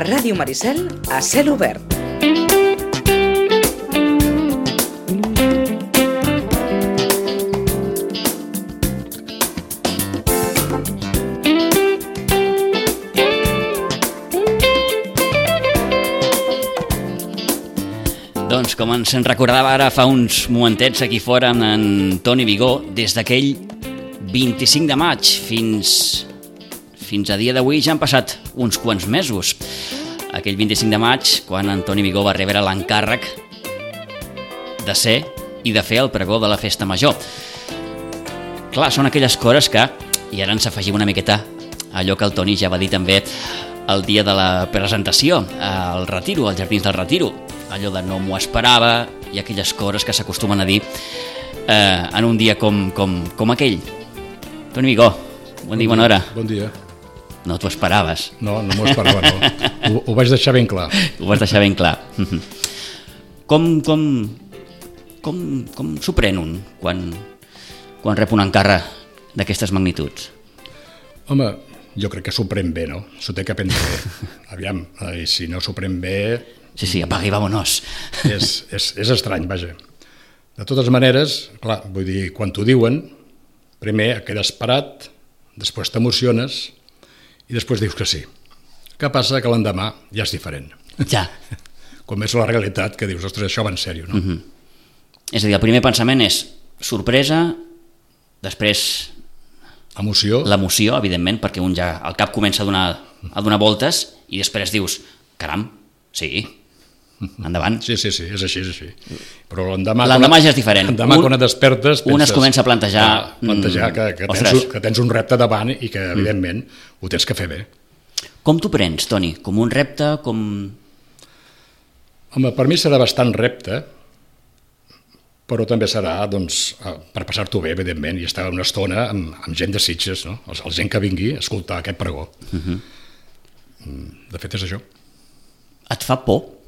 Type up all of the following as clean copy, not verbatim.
Ràdio Maricel a cel obert. Doncs com ens en recordava ara fa uns momentets aquí fora amb en Toni Vigó, des d'aquell 25 de maig fins a dia d'avui ja han passat uns quants mesos. Aquell 25 de maig, quan en Toni Vigó va rebre l'encàrrec de ser i de fer el pregó de la festa major. Clar, són aquelles coses que, i ara ens afegim una miqueta allò que el Toni ja va dir també el dia de la presentació, al Retiro, als Jardins del Retiro, allò de no m'ho esperava i aquelles coses que s'acostumen a dir en un dia com aquell. Toni Vigó, bon dia, bona hora. Bon dia. No t'ho esperaves. No m'ho esperava, no. Ho vaig deixar ben clar. Ho vas deixar ben clar. Com s'ho pren un quan rep un encàrrec d'aquestes magnituds? Home, jo crec que s'ho pren bé, no? S'ho té que prendre bé. Aviam, i si no s'ho pren bé... Sí, apaga i vámonos. És estrany, vaja. De totes maneres, clar, vull dir, quan t'ho diuen, primer quedes parat, després t'emociones i després dius que sí. Què passa? Que l'endemà ja és diferent. Ja. Com és la realitat, que dius, ostres, això va en sèrio, no? És a dir, el primer pensament és sorpresa, després... Emoció. L'emoció, evidentment, perquè un ja al cap comença a donar voltes i després dius, caram, sí, endavant. Sí, és així. Però l'endemà ja és diferent. L'endemà quan et despertes... Un es comença a plantejar... que tens un repte davant i que, evidentment, ho tens que fer bé. Com t'ho prens, Toni? Com un repte? Home, per mi serà bastant repte, però també serà, doncs, per passar-t'ho bé, evidentment, i estar una estona amb gent de Sitges, no? El gent que vingui a escoltar aquest pregó. De fet, és això. Et fa por?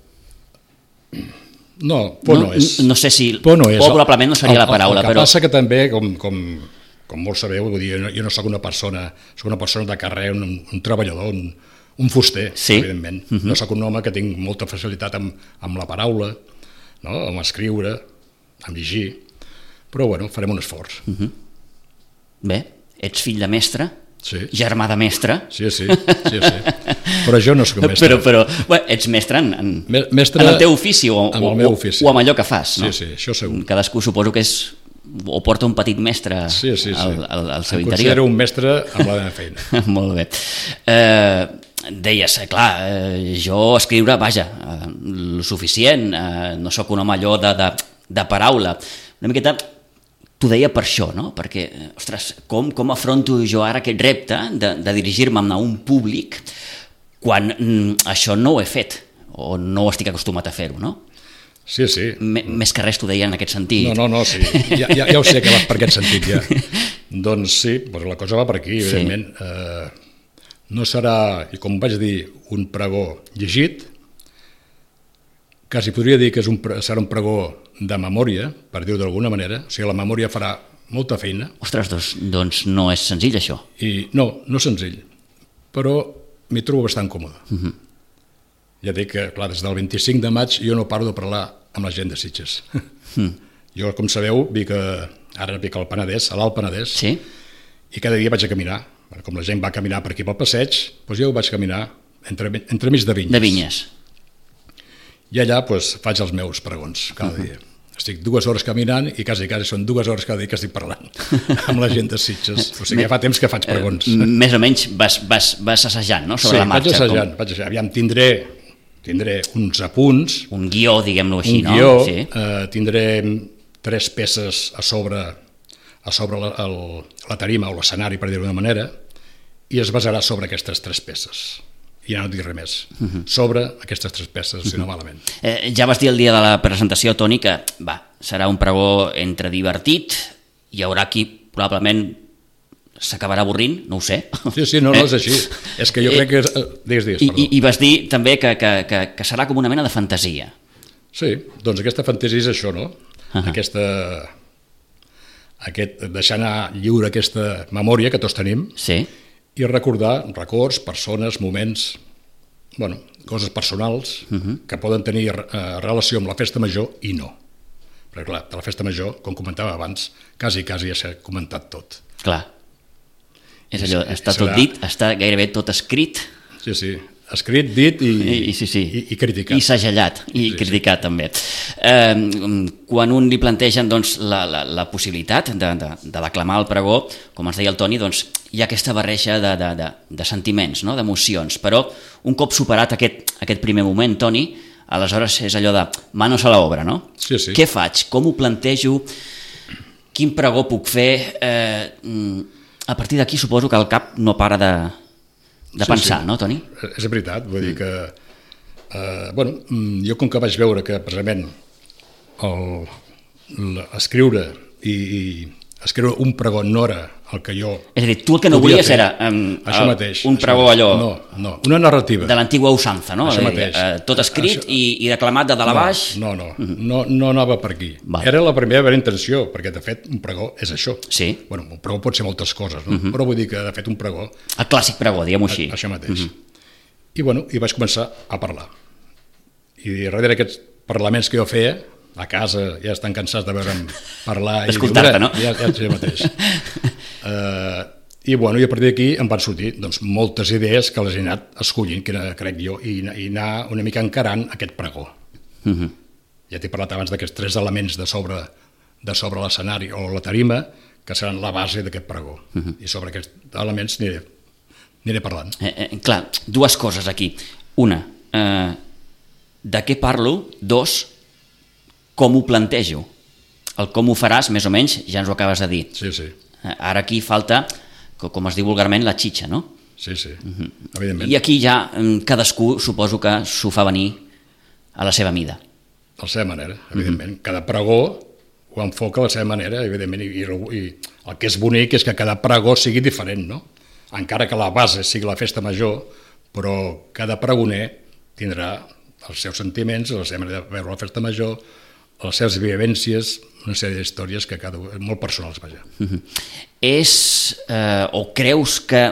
No, por no és. No sé si... Por no és. Probablement no seria la paraula, però... El que però... passa que també, com molts sabeu, vull dir, jo no soc una persona, soc una persona de carrer, un treballador, un fuster, sí? Evidentment. No soc un home que tinc molta facilitat amb la paraula, no? Amb escriure, amb llegir, però bueno, farem un esforç. Bé, ets fill de mestre, sí. Germà de mestre. Sí. Però jo no soc mestre. Però ets mestre en el teu ofici o amb allò que fas, no? Sí, això segur. Cadascú suposo que és o porta un petit mestre al seu interior. Em considero un mestre amb la meva feina. Molt bé. Deies, clar, jo escriure, vaja, el suficient, no sóc un home allò de paraula. Una miqueta t'ho deia per això, no? Perquè, ostres, com afronto jo ara aquest repte de dirigir-me a un públic quan això no ho he fet o no estic acostumat a fer-ho, no? Sí. Més que res t'ho deia en aquest sentit. No, sí. Ja ho sé que va per aquest sentit, ja. Doncs sí, la cosa va per aquí, evidentment. No serà, i com vaig dir, un pregó llegit, quasi podria dir que serà un pregó de memòria, per dir-ho d'alguna manera, o sigui, la memòria farà molta feina. Ostres, doncs no és senzill, això. No és senzill, però m'hi trobo bastant còmode. Ja dic que, clar, des del 25 de maig jo no paro de parlar amb la gent de Sitges. Jo, com sabeu, ara vic al Penedès, a l'Alt Penedès, sí? I cada dia vaig a caminar. Com la gent va caminar per aquí pel passeig, doncs jo vaig caminar entremig de vinyes. De vinyes. I allà faig els meus pregons cada dia. Estic 2 hores caminant i quasi són 2 hores cada dia que estic parlant amb la gent de Sitges. O sigui, ja fa temps que faig pregons. Més o menys vas assajant, no?, sobre la marxa. Sí, vaig assajant. Aviam, tindré uns apunts. Un guió, diguem-lo així, no? Un guió, sí. Tindré 3 peces a sobre la tarima o l'escenari, per dir-ho d'una manera, i es basarà sobre aquestes 3 peces. I ja no dic res més, sobre aquestes 3 peces, si no malament. Ja vas dir el dia de la presentació, Toni, que serà un pregó entre divertit, hi haurà qui probablement s'acabarà avorrint, no ho sé. Sí, no és així. És que jo crec que... Digues, perdó. I vas dir també que serà com una mena de fantasia. Sí, doncs aquesta fantasia és això, no? Deixar anar lliure aquesta memòria que tots tenim, sí, i recordar records, persones, moments, coses personals que poden tenir relació amb la festa major i no. Perquè clar, de la festa major, com comentava abans, quasi ja s'ha comentat tot. Clar. És allò, està tot dit, està gairebé tot escrit. Sí, escrit, dit i criticat. I segellat, i criticat també. Quan un li plantegen doncs, la possibilitat de declamar el pregó, com ens deia el Toni, doncs, hi ha aquesta barreja de sentiments, no? D'emocions, però un cop superat aquest primer moment, Toni, aleshores és allò de manos a l'obra, no? Sí. Què faig? Com ho plantejo? Quin pregó puc fer? A partir d'aquí suposo que el cap no para de pensar, no, Toni? És veritat, vull dir que jo com que vaig veure que precisament escriure un pregó no era el que jo... És a dir, tu el que no volies era un pregó allò... No, una narrativa. De l'antigua usança, no? Això mateix. Tot escrit i declamat de dalt a baix. No anava per aquí. Era la primera intenció, perquè de fet un pregó és això. Sí. Bueno, un pregó pot ser moltes coses, no? Però vull dir que de fet un pregó... El clàssic pregó, diguem-ho així. Això mateix. I vaig començar a parlar. I darrere d'aquests parlaments que jo feia, a casa ja estan cansats de veure'm parlar... Escoltar-te, no? Ja sé mateix. I a partir d'aquí em van sortir moltes idees que les he anat escollint, crec jo, i anar una mica encarant aquest pregó. Ja t'he parlat abans d'aquests 3 elements de sobre l'escenari o la tarima, que seran la base d'aquest pregó. I sobre aquests elements aniré parlant. Clar, 2 coses aquí. Una, de què parlo? 2, com ho plantejo? El com ho faràs, més o menys, ja ens ho acabes de dir. Sí. Ara aquí falta, com es diu vulgarment, la xitxa, no? Sí, evidentment. I aquí ja cadascú suposo que s'ho fa venir a la seva mida. A la seva manera, evidentment. Cada pregó ho enfoca a la seva manera, evidentment, i el que és bonic és que cada pregó sigui diferent, no? Encara que la base sigui la festa major, però cada pregoner tindrà els seus sentiments, la seva manera de veure la festa major, les seves vivències, una sèrie d'històries que molt personals, vaja. O creus que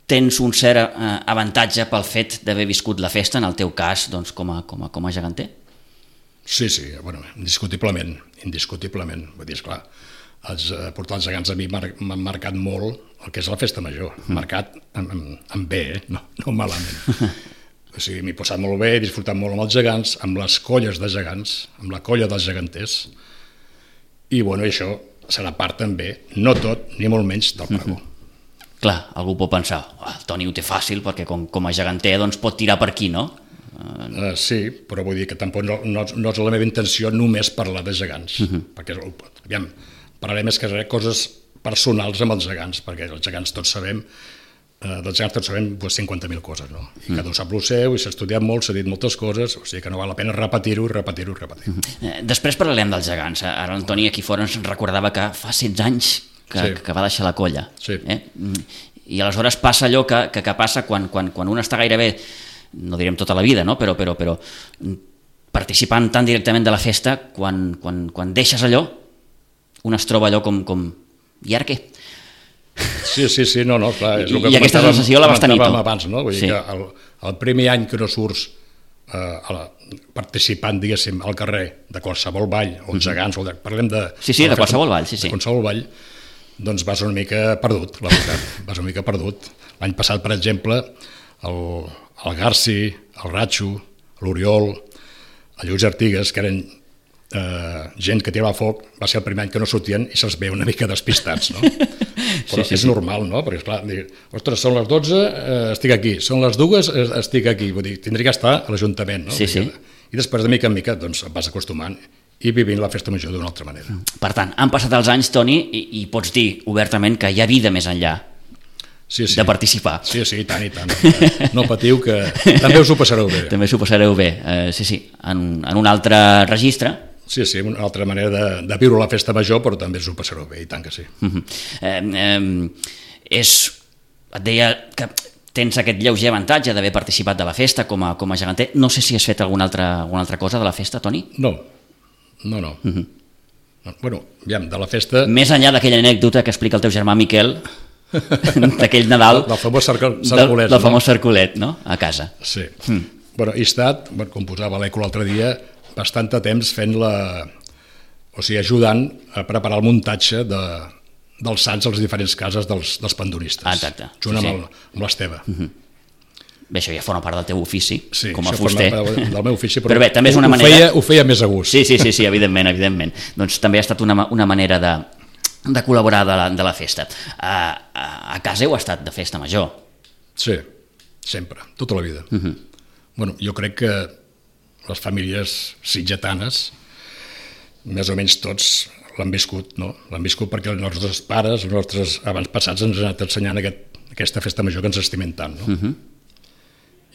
tens un cert avantatge pel fet d'haver viscut la festa, en el teu cas, doncs, com a geganter? Sí, indiscutiblement. Vull dir, esclar, els portals gegants a mi m'han marcat molt el que és la festa major, marcat en bé, no malament. O sigui, m'he passat molt bé, he disfrutat molt amb els gegants, amb les colles de gegants, amb la colla dels geganters, i això serà part també, no tot, ni molt menys, del pregó. Clar, algú pot pensar, el Toni ho té fàcil, perquè com a geganter doncs, pot tirar per aquí, no? Sí, però vull dir que tampoc no és la meva intenció només parlar de gegants, perquè, aviam, parlaré més que res coses personals amb els gegants, perquè els gegants tots sabem 50.000 coses, no? I cada un sap el seu, i s'ha estudiat molt, s'ha dit moltes coses, o sigui que no val la pena repetir-ho. Després parlarem dels gegants. Ara l'Antoni aquí fora ens recordava que fa 16 anys que va deixar la colla. Sí. I aleshores passa allò que passa quan un està gairebé, no direm tota la vida, no? però participant tan directament de la festa, quan deixes allò, un es troba allò com i ara què? Sí, no, clar, és el que I aquesta sensació la vas tenir tu. Abans, no? Vull dir que el primer any que no surts participant, diguéssim, al carrer de qualsevol ball, o els gegants, parlem de... Sí, de qualsevol ball, sí. De qualsevol ball, doncs vas una mica perdut, la veritat. L'any passat, per exemple, el Garci, el Ratxo, l'Oriol, el Lluís Artigues, que eren gent que tirava foc, va ser el primer any que no sortien i se'ls ve una mica despistats, no? Però és normal, no? Perquè, esclar, ostres, són les 12, estic aquí, són les 2, estic aquí, vull dir, tindria que estar a l'Ajuntament, no? Sí. I després, de mica en mica, doncs, et vas acostumant i vivint la festa major d'una altra manera. Per tant, han passat els anys, Toni, i pots dir obertament que hi ha vida més enllà de participar. Sí, i tant. No patiu, que també us ho passareu bé. També s'ho passareu bé, en un altre registre. Sí, una altra manera de viure la festa major, però també us ho passareu bé, i tant que sí. Et deia que tens aquest lleuger avantatge d'haver participat de la festa com a geganter. No sé si has fet alguna altra cosa de la festa, Toni? No. Bueno, aviam, de la festa... Més enllà d'aquella anècdota que explica el teu germà Miquel, d'aquell Nadal... Del famós cercolet. Del famós cercolet, no?, a casa. Sí. Bueno, he estat, com posava l'Eco l'altre dia, bastant de temps ajudant a preparar el muntatge dels sants a les diferents cases dels pandonistes. Exacte. Junt amb l'Esteve. Bé, això ja forma part del teu ofici, sí, com a fuster. Del meu ofici, però bé, també és una manera... Ho feia més a gust. Sí, evidentment. Doncs també ha estat una manera de col·laborar de la festa. A casa heu estat de festa major? Sí, sempre, tota la vida. Bueno, jo crec que les famílies sitgetanes, més o menys tots, l'han viscut, no? L'han viscut perquè els nostres pares, els nostres avantpassats ens han anat ensenyant aquesta festa major que ens estimem tant, no?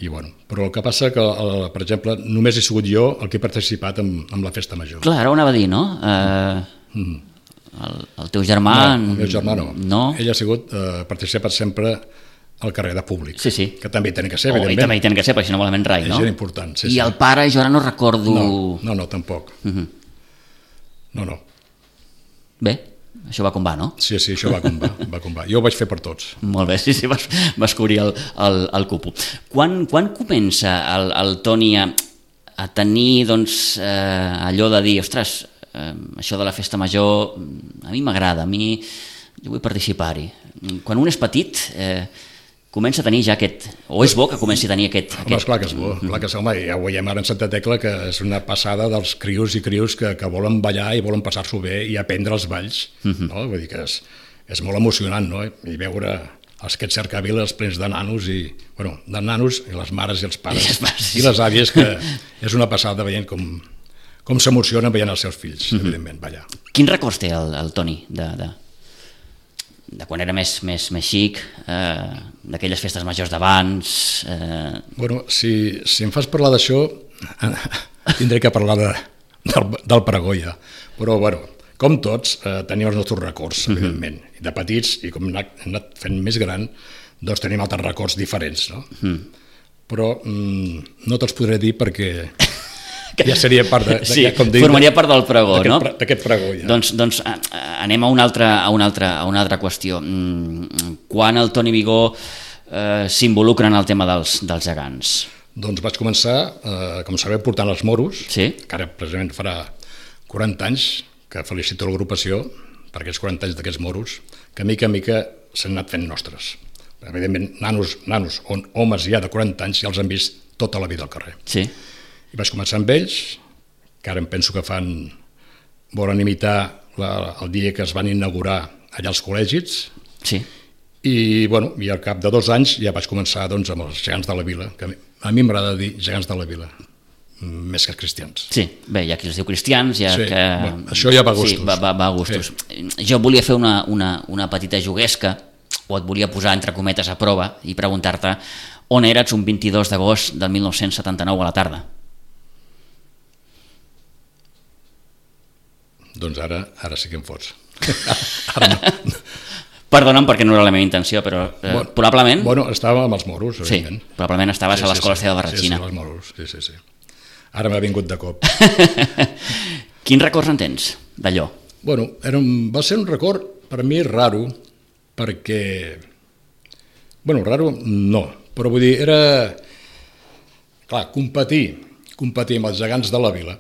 I bueno, però el que passa que, per exemple, només he sigut jo el que he participat en la festa major. Clar, ara ho anava a dir, no? El teu germà... No, el meu germà no. Ell ha participat sempre al carrer de públic. Sí. Que també hi tenen que ser, evidentment. I també hi tenen que ser, perquè si no malament rai, no? És important, sí. I el pare, jo ara no recordo... No, tampoc. No. Bé, això va com va, no? Sí, això va com va. Jo ho vaig fer per tots. Molt bé, sí, vas cobrir el cupo. Quan comença el Toni a tenir, doncs, allò de dir, ostres, això de la festa major a mi m'agrada, jo vull participar-hi. Quan un és petit, comença a tenir ja aquest... O és bo que comenci a tenir aquest... Home, esclar que és bo, home, ja ho veiem ara en Santa Tecla, que és una passada dels crios i crios que volen ballar i volen passar-s'ho bé i aprendre els balls, no? Vull dir que és molt emocionant, no? I veure aquests cercaviles plens de nanos i les mares i els pares i les àvies, que és una passada veient com s'emocionen veient els seus fills, evidentment, ballar. Quins records té el Toni de quan era més xic, d'aquelles festes majors d'abans... Bueno, si em fas parlar d'això, tindré que parlar del pregó ja. Però, bueno, com tots, tenim els nostres records, evidentment. I de petits, i com hem anat fent més gran, doncs tenim altres records diferents, no? Però no te'ls podré dir perquè... Ja seria part formaria part del pregó, no? D'aquest pregó, ja. Doncs anem a una altra qüestió. Quan el Toni Vigó s'involucra en el tema dels gegants? Doncs vaig començar, com sabeu, portant els moros, que ara precisament farà 40 anys que felicito l'agrupació per aquests 40 anys d'aquests moros, que mica en mica s'han anat fent nostres. Evidentment, nanos, homes ja de 40 anys, ja els han vist tota la vida al carrer. Sí. I vaig començar amb ells, que ara em penso que volen imitar el dia que es van inaugurar allà als col·legis. Sí. I al cap de 2 anys ja vaig començar amb els gegants de la vila, que a mi m'agrada dir gegants de la vila, més que cristians. Sí, bé, hi ha qui els diu cristians, això ja va a gustos. Sí, va a gustos. Sí. Jo volia fer una petita juguesca, o et volia posar entre cometes a prova i preguntar-te on eres un 22 d'agost del 1979 a la tarda. Doncs ara sí que em fots. Ara no. Perdona'm perquè no era la meva intenció, però probablement... Estava amb els moros, evidentment. Sí, probablement estaves a l'Escola Esteve Barratxina. Sí, els moros, sí. Ara m'ha vingut de cop. Quins records en tens d'allò? Va ser un record per mi raro, perquè... raro no, però vull dir, era... Clar, competir amb els gegants de la vila...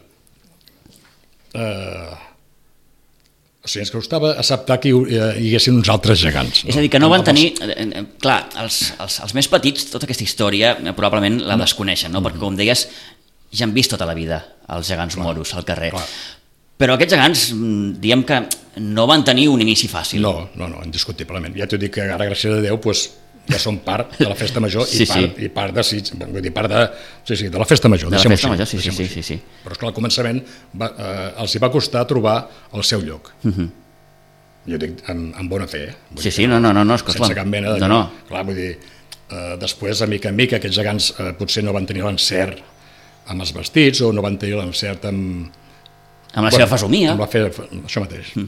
ens costava acceptar que hi haguessin uns altres gegants. És a dir, que no van tenir... Clar, els més petits, tota aquesta història, probablement la desconeixen, no? Perquè, com deies, ja han vist tota la vida els gegants moros al carrer. Però aquests gegants, diem que no van tenir un inici fàcil. No, indiscutiblement. Ja t'ho dic que ara, gràcies a Déu, ja són part de la festa major i part de la festa major. De la festa major, sí. Però esclar, al començament els hi va costar trobar el seu lloc. Jo dic amb bona fe. Sí, no, sense cap mena de... Clar, vull dir, després, a mica en mica, aquests gegants potser no van tenir l'encert amb els vestits o no van tenir l'encert amb la seva fesomia. Això mateix.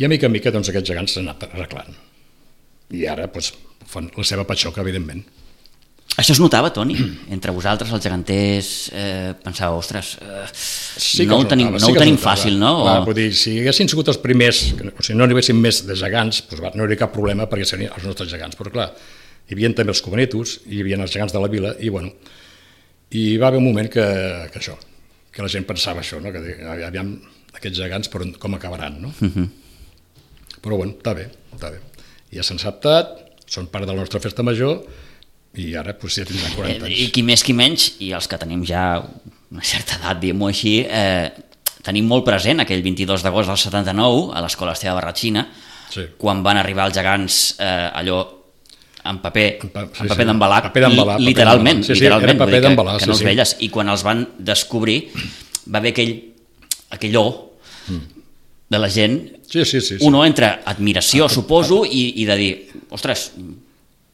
I a mica en mica aquests gegants s'han anat arreglant. I ara fan la seva patxoca, evidentment. Això es notava, Toni? Entre vosaltres, els geganters, pensàveu, ostres, no ho tenim fàcil, no? Clar, vull dir, si haguessin sigut els primers, o sigui, no n'hi haguessin més de gegants, doncs no hi hauria cap problema perquè serien els nostres gegants, però clar, hi havia també els Comanetos, hi havia els gegants de la vila, i bueno, i va haver un moment que això, que la gent pensava això, no? Que aviam aquests gegants com acabaran, no? Però bueno, està bé, ja s'han acceptat, són part de la nostra festa major, i ara pues, ja tindran 40 anys. I qui més qui menys, i els que tenim ja una certa edat, diguem-ho així, tenim molt present aquell 22 d'agost del 79 a l'escola Esteve Barratxina, quan van arribar els gegants allò en paper d'embalat, literalment, que no els veies, i quan els van descobrir va haver aquell de la gent, uno entre admiració, suposo, i de dir, ostres,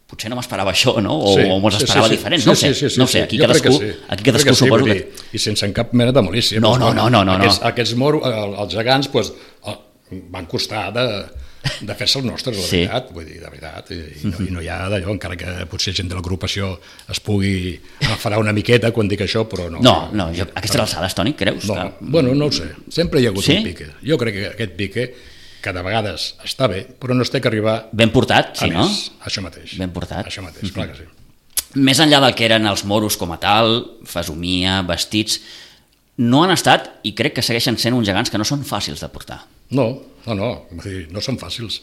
potser no m'esperava això, no? O m'ho esperava diferent, no ho sé, aquí cadascú suposo que... I sense cap mena de malícia. No. Aquests moros, els gegants, van costar de fer-se els nostres, la veritat, vull dir, de veritat, i no hi ha d'allò, encara que potser gent de l'agrupació es pugui enfadar una miqueta quan dic això, però no. No, aquestes alçades, Toni, creus? No, bueno, no ho sé, sempre hi ha hagut un pique. Jo crec que aquest pique, que de vegades està bé, però no es té que arribar... Ben portat, sí, no? Això mateix. Ben portat. Això mateix, clar que sí. Més enllà del que eren els moros com a tal, fesomia, vestits, no han estat, i crec que segueixen sent uns gegants que no són fàcils de portar. No són fàcils,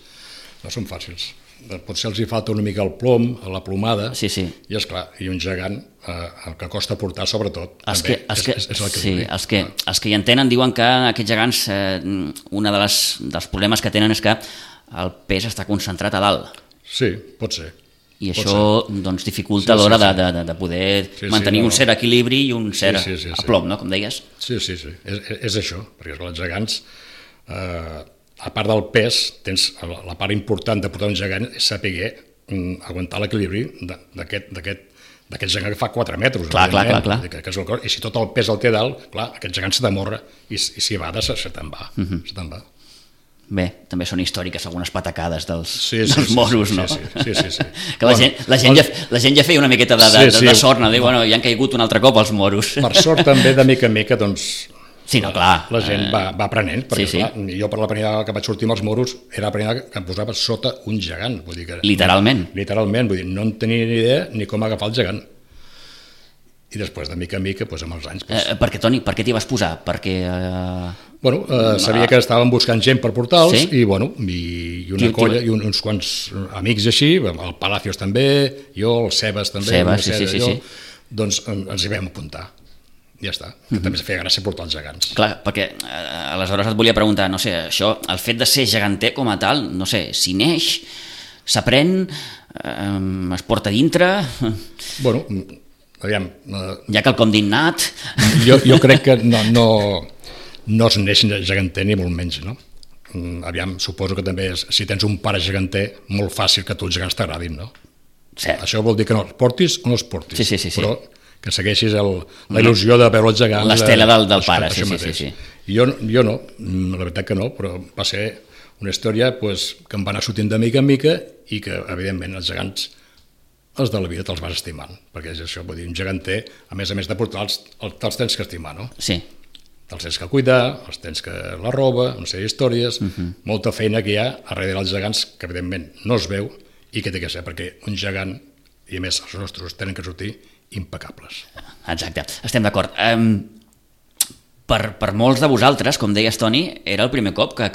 potser els hi falta una mica el plom, la plomada, i esclar, i un gegant, el que costa portar sobretot, també és l'equilibri. Els que hi entenen diuen que aquests gegants, un dels problemes que tenen és que el pes està concentrat a dalt. Sí, pot ser. I això doncs, dificulta a l'hora de poder mantenir un cert equilibri i un cert aplom, no? Com deies. Sí, és això, perquè els gegants, a part del pes, tens la part important de portar un gegant és saber aguantar l'equilibri d'aquest gegant que fa 4 metres. Clar. I si tot el pes el té dalt, clar, aquest gegant se t'amorra i si va, se te'n va. Bé, també són històriques algunes patacades dels moros, no? Sí. Que la gent ja feia una miqueta de sort, no? Bueno, ja han caigut un altre cop els moros. Per sort també, de mica en mica, doncs, la gent va aprenent, perquè clar, jo per la primera que vaig sortir amb els moros era la primera que em posava sota un gegant. Vull dir que, literalment, vull dir, no en tenia ni idea ni com agafar el gegant. I després, de mica en mica, amb els anys... Per què, Toni? Per què t'hi vas posar? Perquè... sabia que estàvem buscant gent per portar-los i una colla i uns quants amics així, el Palacios també, jo, el Sebas també, doncs ens hi vam apuntar. Ja està, que també es feia gràcia portar els gegants. Clar, perquè aleshores et volia preguntar, no sé, això, el fet de ser geganter com a tal, no sé, s'hi neix, s'aprèn, es porta dintre... Bueno, aviam... Hi ha quelcom d'innat... Jo crec que no es neix geganter ni molt menys, no? Aviam, suposo que també si tens un pare geganter, molt fàcil que tu els gegants t'agradin, no? Cert. Això vol dir que no els portis o no els portis. Sí. Però que segueixis la il·lusió de veure els gegants... L'estela del pare, sí. Jo no, la veritat que no, però va ser una història que em va anar sortint de mica en mica i que, evidentment, els gegants, els de la vida, te'ls vas estimant, perquè és això, vull dir, un geganter, a més de portar-los, te'ls tens que estimar, no? Sí. Te'ls tens que cuidar, els tens que la roba, no sé, històries, molta feina que hi ha darrere dels gegants, que evidentment no es veu i que té que ser, perquè un gegant, i a més els nostres, tenen que sortir impecables. Exacte, estem d'acord. Per molts de vosaltres, com deies, Toni, era el primer cop que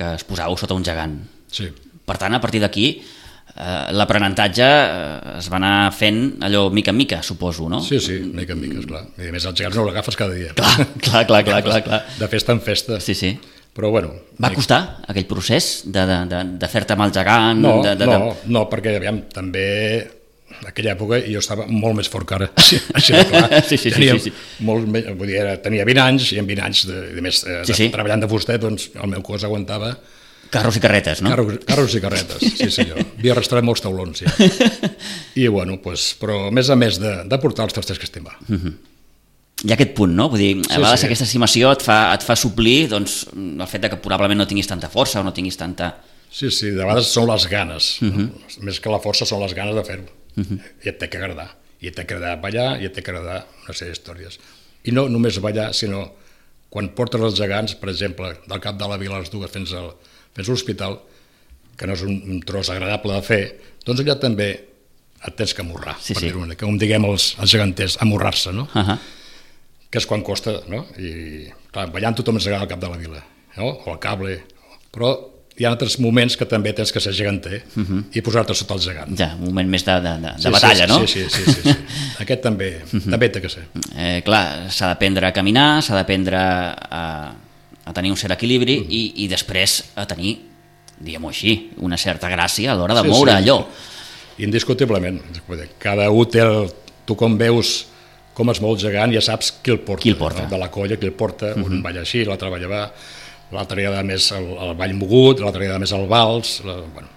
es posàveu sota un gegant. Sí. Per tant, a partir d'aquí, l'aprenentatge es va anar fent allò mica en mica, suposo, no? Sí, mica en mica, esclar. I a més, els gegants no l'agafes cada dia. Clar. De festa en festa. Sí. Però bueno... Va costar aquell procés de fer-te amb el gegant? No, perquè, aviam, també... En aquella època jo estava molt més fort que ara, així de clar. Sí. Tenia 20 anys i en 20 anys, treballant de fuster, doncs el meu cos aguantava... Carros i carretes, no? Carros i carretes, sí senyor. Havia arrastrat molts taulons, ja. I bueno, però a més de portar-los te'ls tens que estimar. Hi ha aquest punt, no? Vull dir, a vegades aquesta estimació et fa suplir doncs, el fet que probablement no tinguis tanta força o no tinguis tanta... Sí, de vegades són les ganes. Més que la força són les ganes de fer-ho. I et té que agradar. I t'ha d'agradar ballar i t'ha d'agradar una sèrie d'històries. I no només ballar, sinó quan portes els gegants, per exemple, del cap de la vila a les dues fins a l'hospital, que no és un tros agradable de fer, doncs allà també et tens que amorrar, per dir-ho, com diguem els geganters, amorrar-se, no? Que és quan costa, no? I clar, ballant tothom ens agrada al cap de la vila, no? O al cable, però hi ha altres moments que també tens que ser geganter i posar-te sota el gegant. Ja, un moment més de batalla, no? Sí. Aquest també té que ser. Clar, s'ha d'aprendre a caminar, s'ha d'aprendre a tenir un cert equilibri i després a tenir, diguem-ho així, una certa gràcia a l'hora de moure allò. Indiscutiblement. Cada un té tu com veus com es mou el gegant, ja saps qui el porta. No? De la colla, qui el porta, un balla així, l'altre balla va, l'altre agrada més el ball mogut, l'altre agrada més el vals, bueno.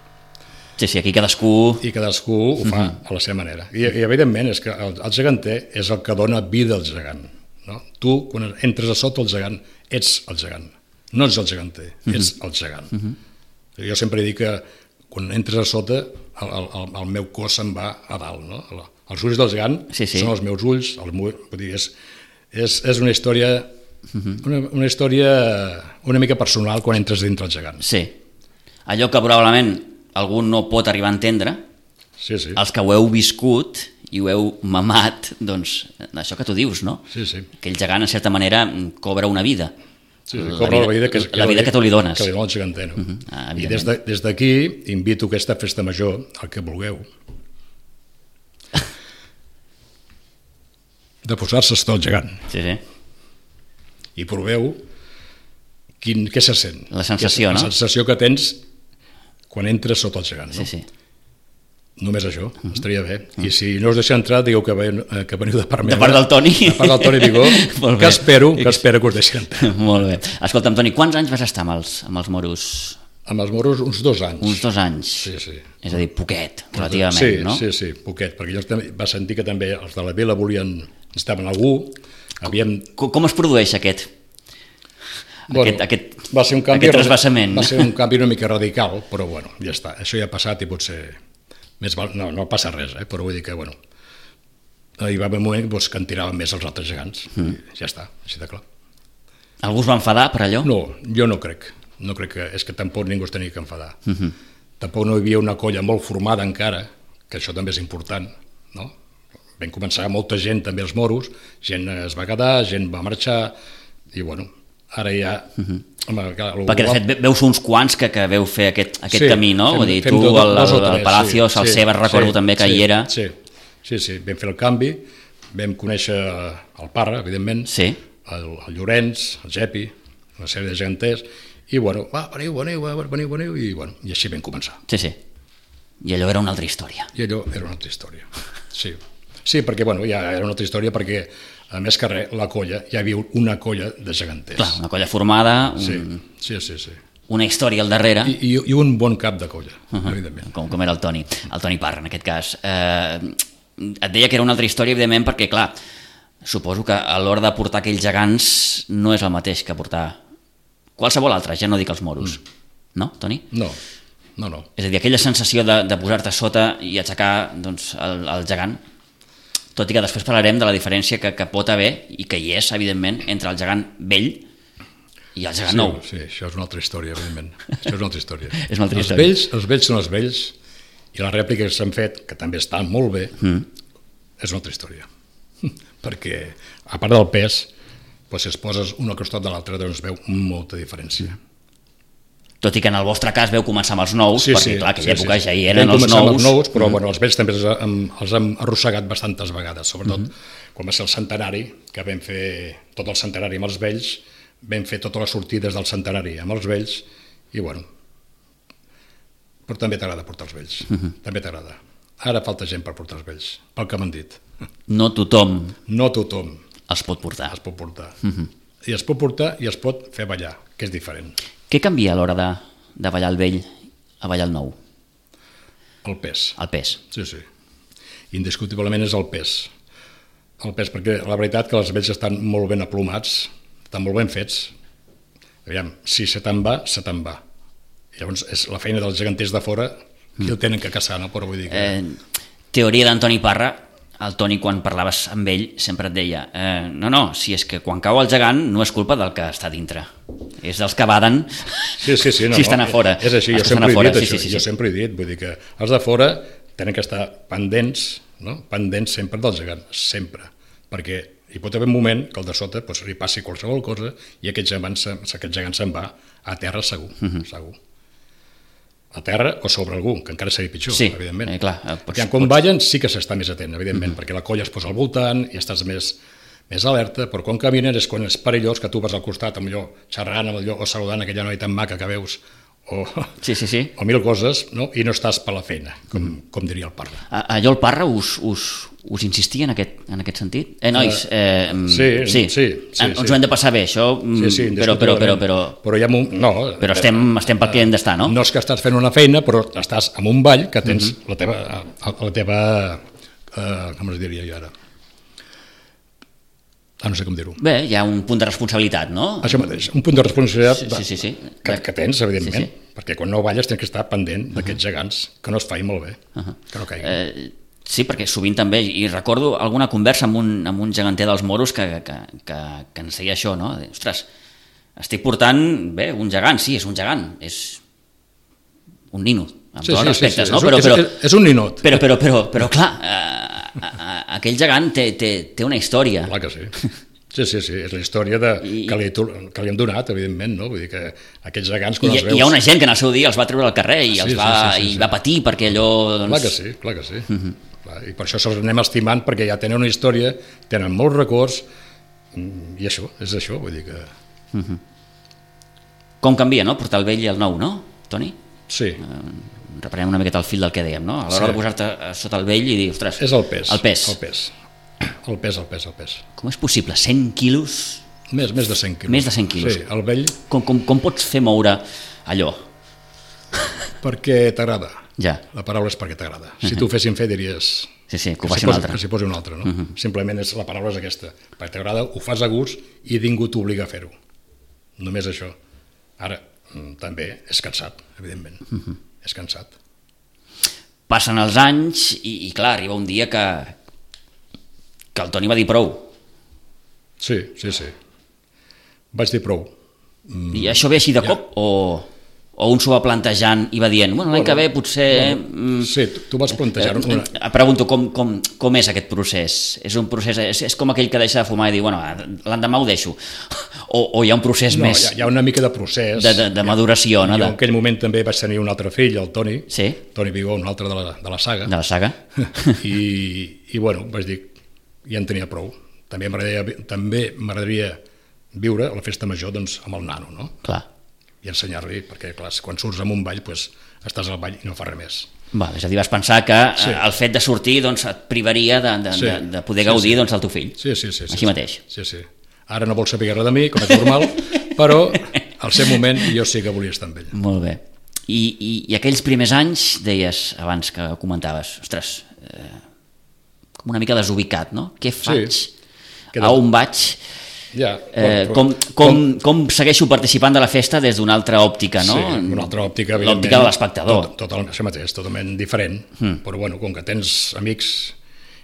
Sí, aquí cadascú... I cadascú ho fa a la seva manera. I evidentment és que el geganter és el que dona vida al gegant. No? Tu, quan entres a sota el gegant, ets el gegant. No ets el geganter, ets el gegant. Jo sempre dic que quan entres a sota el meu cos se'n va a dalt, no? Els ulls del gegant són els meus ulls, vull dir, és una història una mica personal quan entres dintre el gegant. Sí, allò que probablement algú no pot arribar a entendre, els que ho heu viscut i ho heu mamat, doncs això que tu dius, no? Que el gegant en certa manera cobra una vida. Cobra la vida que tu li dones. Que li dona el geganter, no? I des d'aquí invito aquesta festa major, el que vulgueu, de posar-se sota el gegant. I proveu què se sent. La sensació, no? La sensació que tens quan entres sota el gegant. Només això, estaria bé. I si no us deixa entrar, digueu que veniu de part meva. De part del Toni. De part del Toni Vigó, que espero que us deixi entrar. Molt bé. Escolta'm, Toni, quants anys vas estar amb els moros? Amb els moros uns 2 anys. Uns 2 anys. Sí. És a dir, poquet, relativament, no? Sí, poquet, perquè jo va sentir que també els de la vila necessitaven algú. Com es produeix aquest trasbassament? Va ser un canvi una mica radical, però bueno, ja està. Això ja ha passat i potser... No passa res, però vull dir que, bueno, hi va haver un moment que en tiraven més els altres gegants. Ja està, així de clar. Algú es va enfadar per allò? No, jo no crec. No crec que... És que tampoc ningú es tenia que enfadar. Tampoc no hi havia una colla molt formada encara, que això també és important, no? Vam començar molta gent també als moros, gent es va quedar, gent va marxar, i bueno, ara ja... Perquè de fet veus uns quants que veu fer aquest camí, no? Vull dir, tu, el Palacios, el Sebas, recordo també que hi era. Sí, vam fer el canvi, vam conèixer el Parra, evidentment, el Llorenç, el Gepi, una sèrie de geganters, i bueno, veniu, i així vam començar. I allò era una altra història. Sí, perquè ja era una altra història, perquè a més que res, la colla, hi havia una colla de geganters. Clar, una colla formada, una història al darrere. I un bon cap de colla, evidentment. Com era el Toni Parra, en aquest cas. Et deia que era una altra història, evidentment, perquè, clar, suposo que a l'hora de portar aquells gegants no és el mateix que portar qualsevol altre, ja no dic els moros. No, Toni? No. És a dir, aquella sensació de posar-te sota i aixecar el gegant, tot i que després parlarem de la diferència que pot haver, i que hi és, evidentment, entre el gegant vell i el gegant nou. Sí, això és una altra història, evidentment. Això és una altra història. Els vells són els vells, i les rèpliques que s'han fet, que també estan molt bé, és una altra història. Perquè, a part del pes, si es poses un al costat de l'altre, doncs veu molta diferència. Tot i que en el vostre cas veu començar amb els nous, perquè clar, aquella època ja hi eren els nous. Però els vells també els hem arrossegat bastantes vegades, sobretot quan va ser el centenari, que vam fer tot el centenari amb els vells, vam fer totes les sortides del centenari amb els vells, i bueno, però també t'agrada portar els vells, també t'agrada. Ara falta gent per portar els vells, pel que m'han dit. No tothom els pot portar. I es pot portar i es pot fer ballar, que és diferent. Què canvia a l'hora de ballar el vell a ballar el nou? El pes. Sí. Indiscutiblement és el pes. El pes, perquè la veritat que els vells estan molt ben aplomats, estan molt ben fets. Aviam, si se te'n va. Llavors és la feina dels geganters de fora qui el tenen que caçar, no? Però vull dir que... Teoria d'Antoni Parra, el Toni, quan parlaves amb ell, sempre et deia no, si és que quan cau el gegant no és culpa del que està dintre, és dels que baden sí, si estan a fora. És així, jo sempre he dit això, jo sempre he dit, vull dir que els de fora tenen que estar pendents, no? Pendents sempre del gegant, sempre, perquè hi pot haver un moment que el de sota li passi qualsevol cosa i aquest gegant se'n va a terra segur, segur. A terra o sobre algú, que encara seria pitjor, evidentment. Clar, quan ballen sí que s'està més atent, evidentment, perquè la colla es posa al voltant i estàs més alerta, però quan caminen és quan és perillós que tu vas al costat, allò, xerrant amb allò, o saludant aquella noia tan maca que veus, o mil coses, no? I no estàs per la feina, com diria el Parra. Allò el Parra us insistia en aquest sentit? Nois, sí. Ens ho hem de passar bé, això, però estem pel que hem d'estar, no? No és que estàs fent una feina, però estàs en un ball que tens la teva com es diria jo ara? No sé com dir-ho. Bé, hi ha un punt de responsabilitat, no? Això mateix, un punt de responsabilitat que tens, evidentment, perquè quan no balles tens que estar pendent d'aquests gegants, que no es faci molt bé, que no caiguin. Sí, perquè sovint també, i recordo alguna conversa amb un geganter dels moros que ens deia això, no? Ostres, estic portant, bé, un gegant, sí, és un gegant, és un nino, amb tots els respectes, no? És un ninot. Però clar, aquell gegant té una història. Clar que sí. Sí, és la història que li hem donat, evidentment, no? Vull dir que aquests gegants, quan els veus... Hi ha una gent que en el seu dia els va treure al carrer i va patir perquè allò... Clar que sí. I per això se'ls anem estimant, perquè ja tenen una història, tenen molts records, i això, és això, vull dir que... Com canvia, no?, portar el vell i el nou, no, Toni? Sí. Reprenem una miqueta el fil del que dèiem, no? A l'hora de posar-te sota el vell i dir, ostres... És el pes. El pes. Com és possible? 100 quilos? Més de 100 quilos. Més de 100 quilos. Sí, el vell... Com pots fer moure allò? Perquè t'agrada. Ja. La paraula és perquè t'agrada. Si t'ho fessin fer diries... Sí, que ho faci un altre. Que s'hi posi un altre, no? Simplement la paraula és aquesta. Perquè t'agrada, ho fas a gust i ningú t'obliga a fer-ho. Només això. Ara, també és cansat, evidentment. És cansat. Passen els anys i clar, arriba un dia que el Toni va dir prou. Sí. Vaig dir prou. I això ve així de cop o un s'ho va plantejant i va dient, bueno, l'any que ve potser... Sí, tu vas plantejant... Pregunto, com és aquest procés? És un procés, és com aquell que deixa de fumar i diu, bueno, l'endemà ho deixo. O hi ha un procés més... No, hi ha una mica de procés. De maduració, no? Jo en aquell moment també vaig tenir un altre fill, el Toni. Sí. Toni Vigó, un altre de la saga. De la saga. I bueno, vaig dir, ja en tenia prou. També m'agradaria viure la festa major doncs, amb el nano, no? Clar. I ensenyar-li, perquè clar, quan surts amb un ball doncs, estàs al ball i no fa res més. És a dir, vas pensar que el fet de sortir doncs, et privaria de poder gaudir doncs, del teu fill. Sí. Així mateix. Sí. Ara no vol saber res de mi, com és normal, però al seu moment jo sí que volia estar amb ell. Molt bé. I aquells primers anys, deies abans que comentaves, ostres, com una mica desubicat, no? Què faig? A on vaig? Ja, com segueixo participant de la festa des d'una altra òptica, no? Sí, una altra òptica, l'òptica de l'espectador. Això mateix, totalment diferent, però bueno, com que tens amics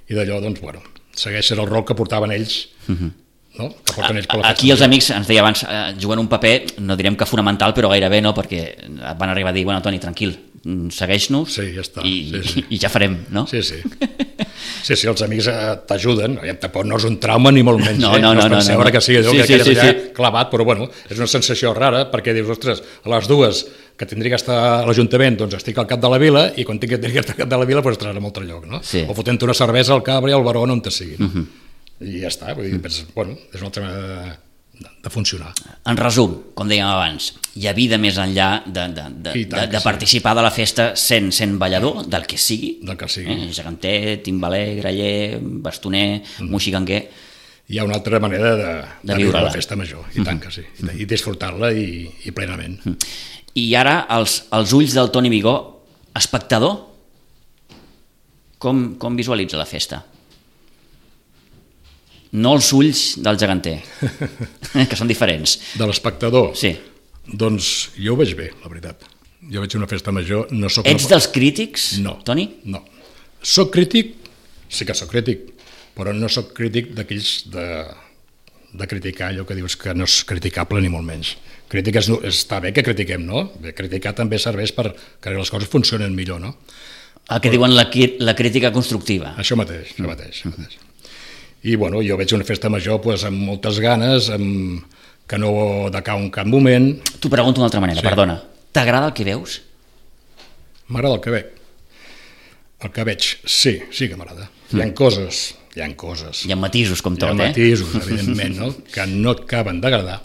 i d'allò, doncs bueno, segueixes el rol que portaven ells, no? Que porten ells per la festa. Aquí els amics, ens deia abans, juguen un paper, no direm que fonamental, però gairebé no, perquè van arribar a dir, bueno, Toni, tranquil, segueix-nos i ja farem, no? Sí, els amics t'ajuden, tampoc no és un trauma ni molt menys, no penseu ara que sigui allò que quedes allà clavat, però bueno, és una sensació rara perquè dius, ostres, a les dues que tindria que estar a l'Ajuntament, doncs estic al cap de la vila i quan tinc que estar al cap de la vila doncs estaràs a un altre lloc, no? O fotent una cervesa al Cabra i al Baró on te sigui, no? I ja està, vull dir, bueno, és una altra manera de funcionar. En resum, com dèiem abans, hi ha vida més enllà de participar de la festa sent ballador, del que sigui, geganter, timbaler, graller, bastoner, moxiganguer. Hi ha una altra manera de viure la festa major, i tant que sí, i disfrutar-la i plenament. I ara, els ulls del Toni Vigó, espectador, com visualitza la festa? No els ulls del geganter, que són diferents. De l'espectador? Sí. Doncs jo ho veig bé, la veritat. Jo veig una festa major... Ets dels crítics, Toni? No. Soc crític sí que sóc crític, però no sóc crític d'aquells de criticar allò que dius que no és criticable ni molt menys. Crítica està bé que critiquem, no? Bé, criticar també serveix perquè les coses funcionen millor, no? El que diuen la crítica constructiva. Això mateix. I bueno, jo veig una festa major doncs, amb moltes ganes, que no decau en cap moment. T'ho pregunto d'una altra manera, Sí. perdona. T'agrada el que veus? M'agrada el que veig. El que veig, sí que m'agrada. Hi ha coses. Hi ha matisos, com tot, Hi ha matisos, evidentment, no? Que no et acaben d'agradar,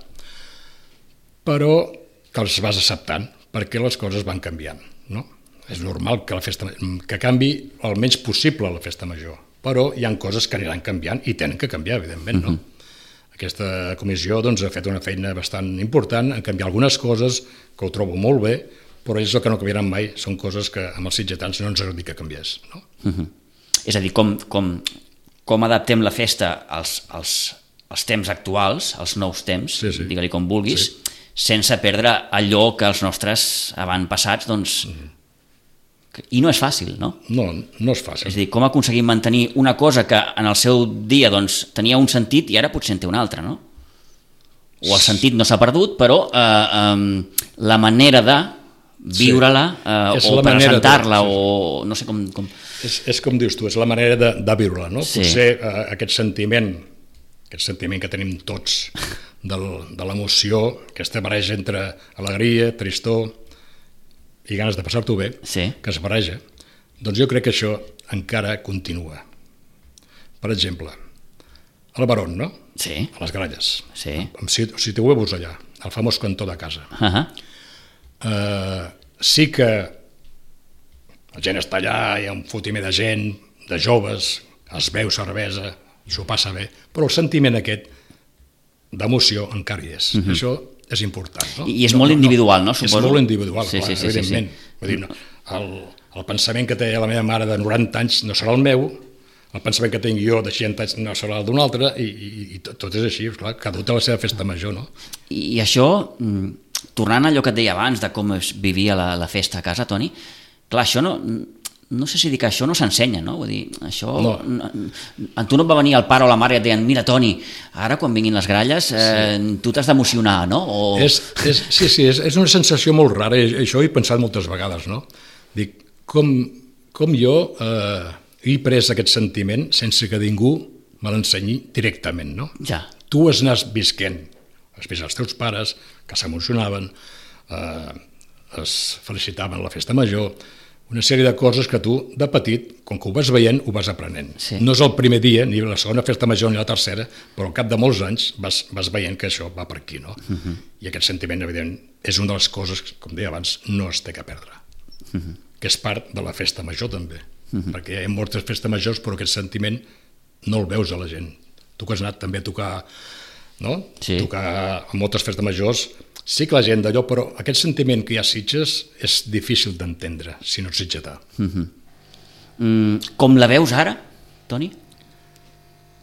però que els vas acceptant, perquè les coses van canviant, no? És normal que canvi el menys possible la festa major, però hi ha coses que aniran canviant i tenen que canviar, evidentment, no? Aquesta comissió doncs, ha fet una feina bastant important en canviar algunes coses que ho trobo molt bé, però és el que no canviaran mai, són coses que amb els sitgetans no ens agradaria que canviés, no? És a dir, com adaptem la festa als temps actuals, als nous temps, Sí. digue-li com vulguis, sense perdre allò que els nostres avantpassats, doncs... I no és fàcil, no? No és fàcil. És a dir, com aconseguim mantenir una cosa que en el seu dia doncs, tenia un sentit i ara potser en té un altre, no? O el sentit no s'ha perdut, però la manera de viure-la o presentar-la o no sé com... És com dius tu, és la manera de viure-la, no? Sí. Potser aquest sentiment que tenim tots de l'emoció, aquesta barreja entre alegria, tristor i ganes de passar-t'ho bé, Sí. que es barreja, doncs jo crec que això encara continua. Per exemple, al Barón, no? Sí, A les Gralles, sí. amb situeu-vos allà, el famós cantó de casa. Sí que la gent està allà, hi ha un fotimer de gent, de joves, es beu cervesa, s'ho passa bé, però el sentiment aquest d'emoció encara hi és. Això és important. No? I és molt individual, no? Suposo. És molt individual, Sí, clar, sí, evidentment. Vull dir, el pensament que té la meva mare de 90 anys no serà el meu, el pensament que tinc jo de 60 anys no serà el d'un altre, i tot és així, clar, cada té la seva festa major, no? I això, tornant a allò que et deia abans de com es vivia la festa a casa, Toni, clar, això no sé si dir que això no s'ensenya, no? Vull dir, això... No. A tu no et va venir el pare o la mare i et deien, mira, Toni, ara quan vinguin les gralles tu t'has d'emocionar, no? Sí, és una sensació molt rara, i això ho he pensat moltes vegades, no? Dic, com jo he pres aquest sentiment sense que ningú me l'ensenyi directament, no? Ja. Tu has anat visquent, has vist els teus pares, que s'emocionaven, es felicitaven a la festa major, una sèrie de coses que tu, de petit, com que ho vas veient, ho vas aprenent. Sí. No és el primer dia, ni la segona festa major ni la tercera, però al cap de molts anys vas veient que això va per aquí, no? I aquest sentiment, evident, és una de les coses, com deia abans, no es té que perdre. Que és part de la festa major, també. Perquè hi ha moltes festes majors, però aquest sentiment no el veus a la gent. Tu que has anat també a tocar, no? Sí. Tocar a moltes festes majors, sí que la gent d'allò, però aquest sentiment que hi ha a Sitges és difícil d'entendre, si no ets sitgetà. Com la veus ara, Toni?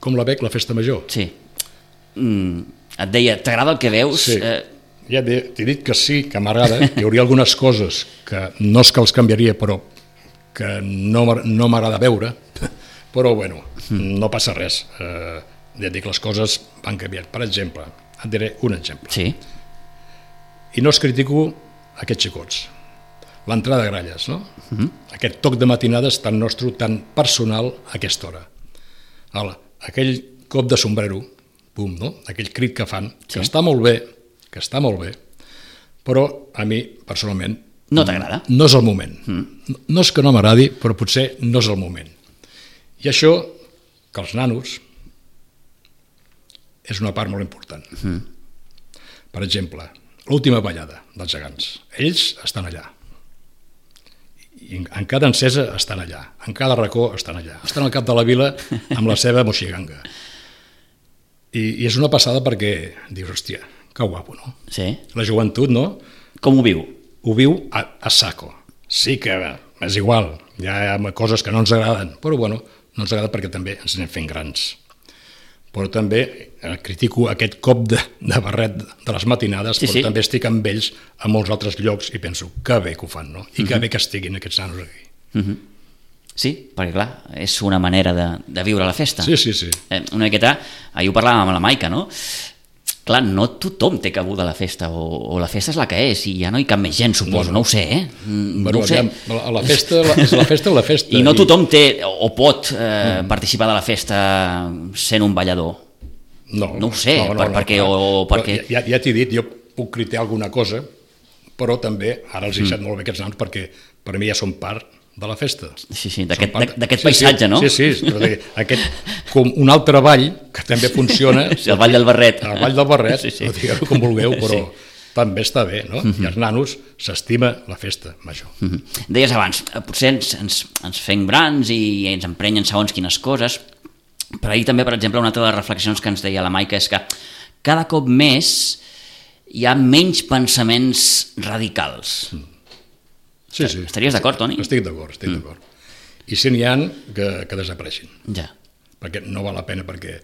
Com la veig, la festa major? Sí. Et deia, t'agrada el que veus? Sí. Ja t'he dit que sí, que m'agrada. Hi hauria algunes coses que no és que els canviaria, però que no m'agrada veure, però bueno, no passa res. Ja et dic, les coses van canviant. Per exemple, et diré un exemple. Sí. I no es critico aquests xicots. L'entrada de gralles, no? Aquest toc de matinades tan nostre, tan personal a aquesta hora. Aquell cop de sombrero, pum, no? Aquell crit que fan, que està molt bé, però a mi, personalment, No t'agrada? no és el moment. No és que no m'agradi, però potser no és el moment. I això, que els nanos, és una part molt important. Per exemple, l'última ballada dels gegants. Ells estan allà. I en cada encesa estan allà. En cada racó estan allà. Estan al cap de la vila amb la seva moixiganga. I és una passada perquè dius, hòstia, que guapo, no? Sí. La joventut, no? Com ho viu? Ho viu a saco. Sí que és igual, hi ha coses que no ens agraden, però bueno, no ens agrada perquè també ens anem fent grans. Però també critico aquest cop de barret de les matinades, Sí, però sí. també estic amb ells a molts altres llocs i penso, que bé que ho fan, no? I que bé que estiguin aquests nanos aquí. Sí, perquè clar, és una manera de viure la festa. Sí. Una miqueta, ahir ho parlàvem amb la Maica, no? Clar, no tothom té cabuda a la festa, o la festa és la que és, i ja no hi cap més gent, suposo, no ho sé, Bueno, no ho sé. la festa és la festa. I no tothom té o pot participar de la festa sent un ballador. No ho sé, perquè... Ja t'he dit, jo puc criticar alguna cosa, però també, ara els he deixat molt bé aquests noms, perquè per mi ja són part de la festa. Sí, d'aquest paisatge, no? Sí, però com un altre ball que també funciona. Sí, el Ball del Barret. El Ball del Barret, digueu com vulgueu, però també està bé, no? I els nanos s'estima la festa major. Deies abans, potser ens fem grans i ens emprenyen segons quines coses, però ahir també, per exemple, una altra de les reflexions que ens deia la Maica és que cada cop més hi ha menys pensaments radicals. Sí. Estaries d'acord, Toni? Estic d'acord. I si n'hi ha, que desapareixin. Ja. Perquè no val la pena, perquè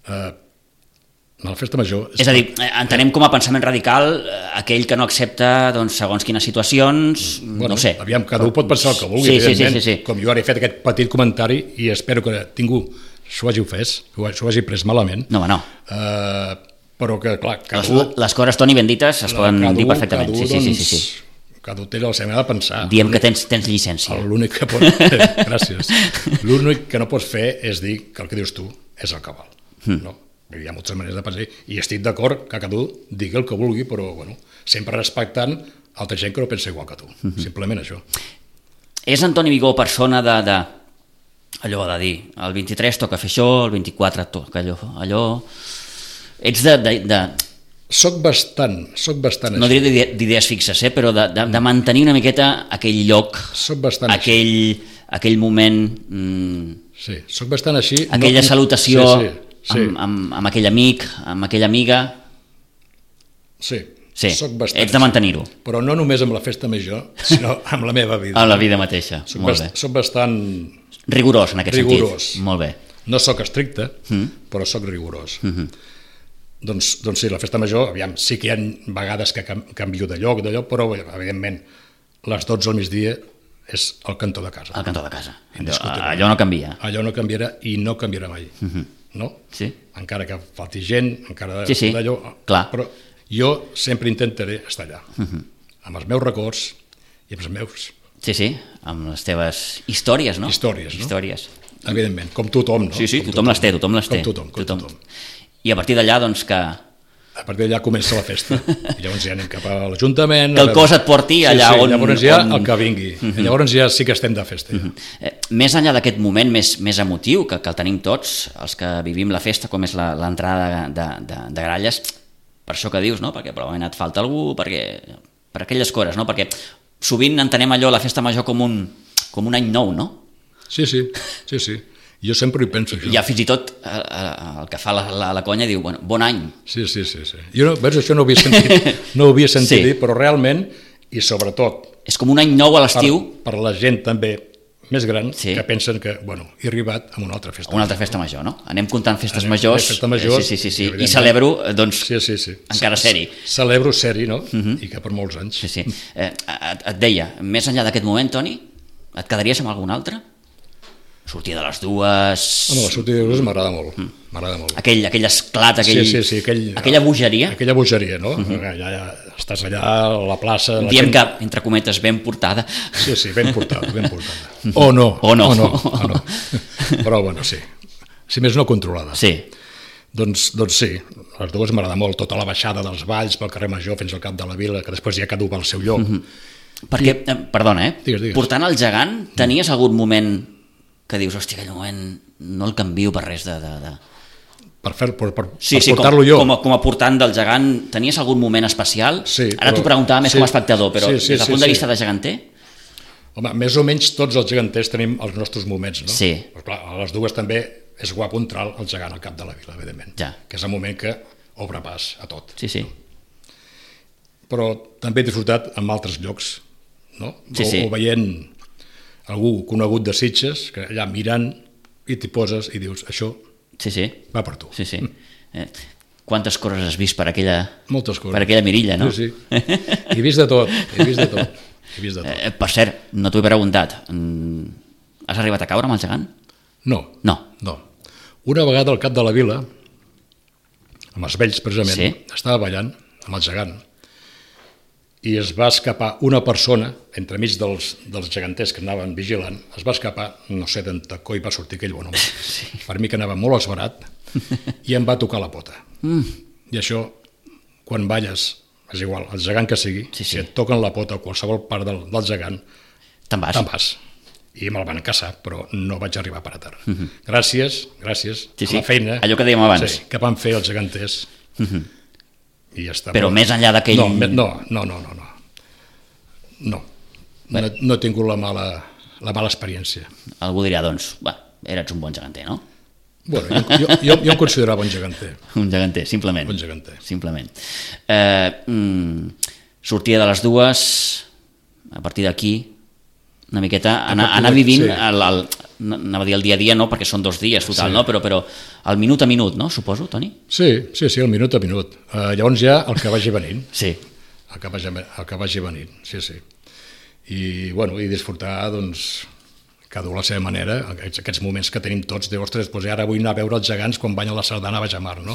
la festa major... És a dir, entenem com a pensament radical aquell que no accepta segons quines situacions, no sé. Aviam, cada un pot pensar el que vulgui, evidentment. Sí. Com jo ara he fet aquest petit comentari i espero que ningú s'ho hagi pres malament. No. Però que, clar... Les coses, Toni, ben dites, es poden dir perfectament. Sí. Cada un té la seva manera de pensar. Diem que tens llicència. L'únic que gràcies. L'únic que no pots fer és dir que el que dius tu és el que val. No? Hi ha moltes maneres de pensar i estic d'acord que cada un digui el que vulgui, però sempre respectant altra gent que no pensa igual que tu. Simplement això. És Antoni Vigó persona allò de dir, el 23 toca fer això, el 24 toca allò... Ets de... Soc bastant no diré d'idees fixes, però de mantenir una miqueta aquell lloc, aquell moment... Sí, soc bastant així. Aquella salutació amb aquell amic, amb aquella amiga... Sí, soc bastant ets de mantenir-ho. Però no només amb la festa major, sinó amb la meva vida. Amb la vida mateixa, molt bé. Soc bastant... Rigorós, en aquest sentit. Molt bé. No soc estricte, però soc rigorós. Doncs sí, la festa major, aviam, sí que hi ha vegades que canvio de lloc, però evidentment les 12 al migdia és el cantó de casa. El cantó de casa. Allò no canvia. Allò no canviarà i no canviarà mai. No? Sí. Encara que falti gent, encara d'allò... Clar. Però jo sempre intentaré estar allà. Amb els meus records i amb els meus... Sí, amb les teves històries, no? Històries. Evidentment, com tothom, no? Sí, tothom les té. Com tothom. I a partir d'allà, que... A partir d'allà comença la festa. I llavors ja anem cap a l'Ajuntament... Que el cos et porti allà on... Llavors ja el que vingui. Llavors ja sí que estem de festa. Més enllà d'aquest moment més emotiu, que el tenim tots, els que vivim la festa, com és l'entrada de Gralles, per això que dius, no? Perquè probablement et falta algú, per aquelles coses, no? Perquè sovint entenem allò, la festa major, com un any nou, no? Sí. Jo sempre hi penso, això. Ja fins i tot el que fa la conya diu, bon any. Sí. Jo això no ho havia sentit dir, però realment, i sobretot... És com un any nou a l'estiu. Per la gent també més gran, que pensen que, he arribat a una altra festa. Una altra festa major, no? Anem comptant festes majors. Sí. I celebro, encara ser-hi. Celebro ser-hi, no? I que per molts anys. Sí. Et deia, més enllà d'aquest moment, Toni, et quedaries amb algun altre? Sortir de les dues... La sortida de les dues m'agrada molt. Aquell esclat, aquella bogeria. Aquella bogeria, no? Ja estàs allà a la plaça... Diem que, entre cometes, ben portada. Sí, ben portada. O no. Però, sí. Si més no, controlada. Sí. Doncs sí, les dues m'agrada molt. Tota la baixada dels valls pel carrer Major fins al cap de la vila, que després ja cada un va al seu lloc. Perquè, perdona, Digues. Portant el gegant, tenies algun moment... que dius, hòstia, aquell moment no el canvio per res Per portar-lo jo. Com a portant del gegant, tenies algun moment especial? Sí. Ara t'ho preguntava més com a espectador, però des del punt de vista de geganter? Home, més o menys tots els geganters tenim els nostres moments, no? Sí. Però clar, a les dues també és guapo entrar el gegant al cap de la vila, evidentment. Ja. Que és el moment que obre pas a tot. Sí. Però també he disfrutat en altres llocs, no? Sí. O veient algú conegut de Sitges, que allà mirant i t'hi poses i dius, això va per tu. Sí. Quantes coses has vist per aquella... Moltes coses. Per aquella mirilla, no? Sí. He vist de tot. Per cert, no t'ho he preguntat. Has arribat a caure amb el gegant? No. No. Una vegada al cap de la vila, amb els vells precisament, Sí. estava ballant amb el gegant i es va escapar una persona, entremig dels geganters que anaven vigilant, es va escapar, no sé d'on coi va sortir aquell bon home. Per mi que anava molt esverat i em va tocar la pota. I això, quan balles, és igual, el gegant que sigui, si et toquen la pota o qualsevol part del gegant, Te'n vas. te'n vas. I me'l van caçar, però no vaig arribar per a terra. Gràcies a la feina. Allò que dèiem abans. Sí, que van fer els geganters. I ja està. Però més enllà d'aquell... No he tingut la mala experiència. Algú dirà, doncs, eres un bon geganter, no? Bueno, jo em considerava un geganter. Un geganter, simplement. Un geganter. Simplement. Sortia de les 2, a partir d'aquí, una miqueta, anar vivint, anava a dir el dia a dia, no, perquè són 2 dies total, no? Però el minut a minut, no, suposo, Toni? Sí, el minut a minut. Llavors ja el que vagi venint. Sí. El que vagi venint, sí. I, bueno, i disfrutar, doncs, cada un a la seva manera, aquests moments que tenim tots, de, ostres, doncs ara vull anar a veure els gegants quan banyen la sardana a Baix a Mar, no?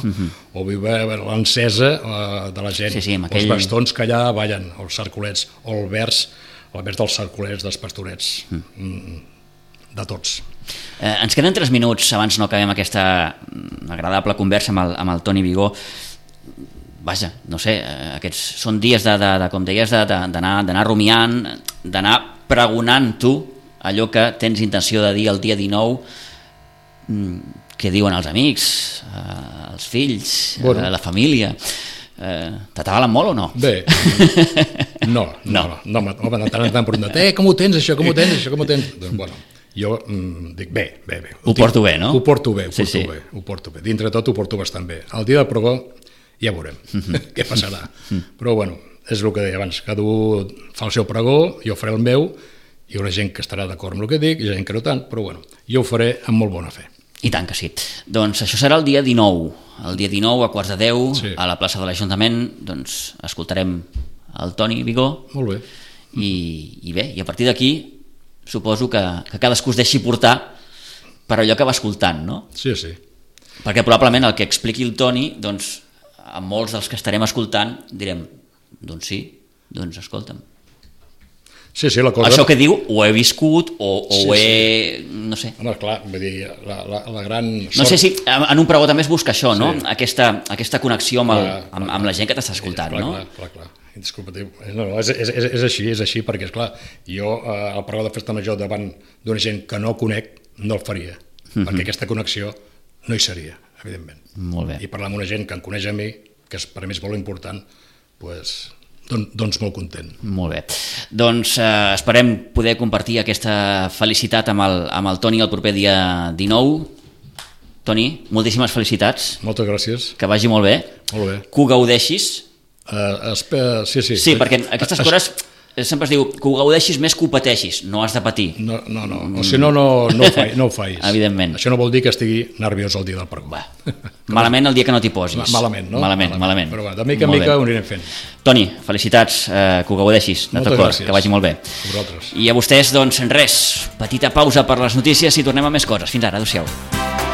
O vull veure l'encesa de la gent, els bastons que allà ballen, els cercolets, o el vers dels cercolets, dels pastorets, de tots. Ens queden 3 minuts abans no acabem aquesta agradable conversa amb el Toni Vigó. Vaja, no sé, aquests són dies com deies, d'anar rumiant, d'anar pregonant tu allò que tens intenció de dir el dia 19, què diuen els amics, els fills, la família. T'atabalen molt o no? Bé, no, home, de tant en tant preguntat, com ho tens això, com ho tens? Doncs, bueno, jo dic, bé. Ho porto bé, no? Ho porto bé. Dintre de tot ho porto bastant bé. El dia del pregó ja veurem què passarà. Però, bueno, és el que deia abans, cada un fa el seu pregó, jo faré el meu, hi haurà gent que estarà d'acord amb el que dic, i gent que no tant, però, bueno, jo ho faré amb molt bona fe. I tant que sí. Doncs això serà el dia 19. El dia 19 a 9:15 a la plaça de l'Ajuntament, doncs escoltarem el Toni Vigó. Molt bé. I bé, i a partir d'aquí suposo que cadascú es deixi portar per allò que va escoltant, no? Sí. Perquè probablement el que expliqui el Toni, doncs, a molts dels que estarem escoltant direm, doncs sí, doncs escolta'm. Sí, la cosa... Això que diu, ho he viscut o ho he... no sé. Home, clar, vull dir, la gran sort... No sé si en un pregó també es busca això, no? Aquesta connexió amb la gent que t'està escoltant, no? Clar. Indiscutible. No, és així, perquè, esclar, jo el pregó de festa major davant d'una gent que no conec no el faria, perquè aquesta connexió no hi seria, evidentment. Molt bé. I parlar amb una gent que em coneix a mi, que per mi és molt important, doncs molt content. Molt bé. Doncs esperem poder compartir aquesta felicitat amb el Toni el proper dia 19. Toni, moltíssimes felicitats. Moltes gràcies. Que vagi molt bé. Molt bé. Que ho gaudeixis. Sí. Sí, perquè aquestes coses sempre es diu que ho gaudeixis més que ho pateixis, no has de patir. No. O si no ho facis. Evidentment. Això no vol dir que estigui nerviós el dia del pregó. Malament el dia que no t'hi posis. Malament, no? Malament. Però de mica en mica ho anirem fent. Toni, felicitats, que ho gaudeixis de tot cor, que vagi molt bé. A vosaltres. I a vostès, doncs, res, petita pausa per les notícies i tornem a més coses. Fins ara, adéu-siau.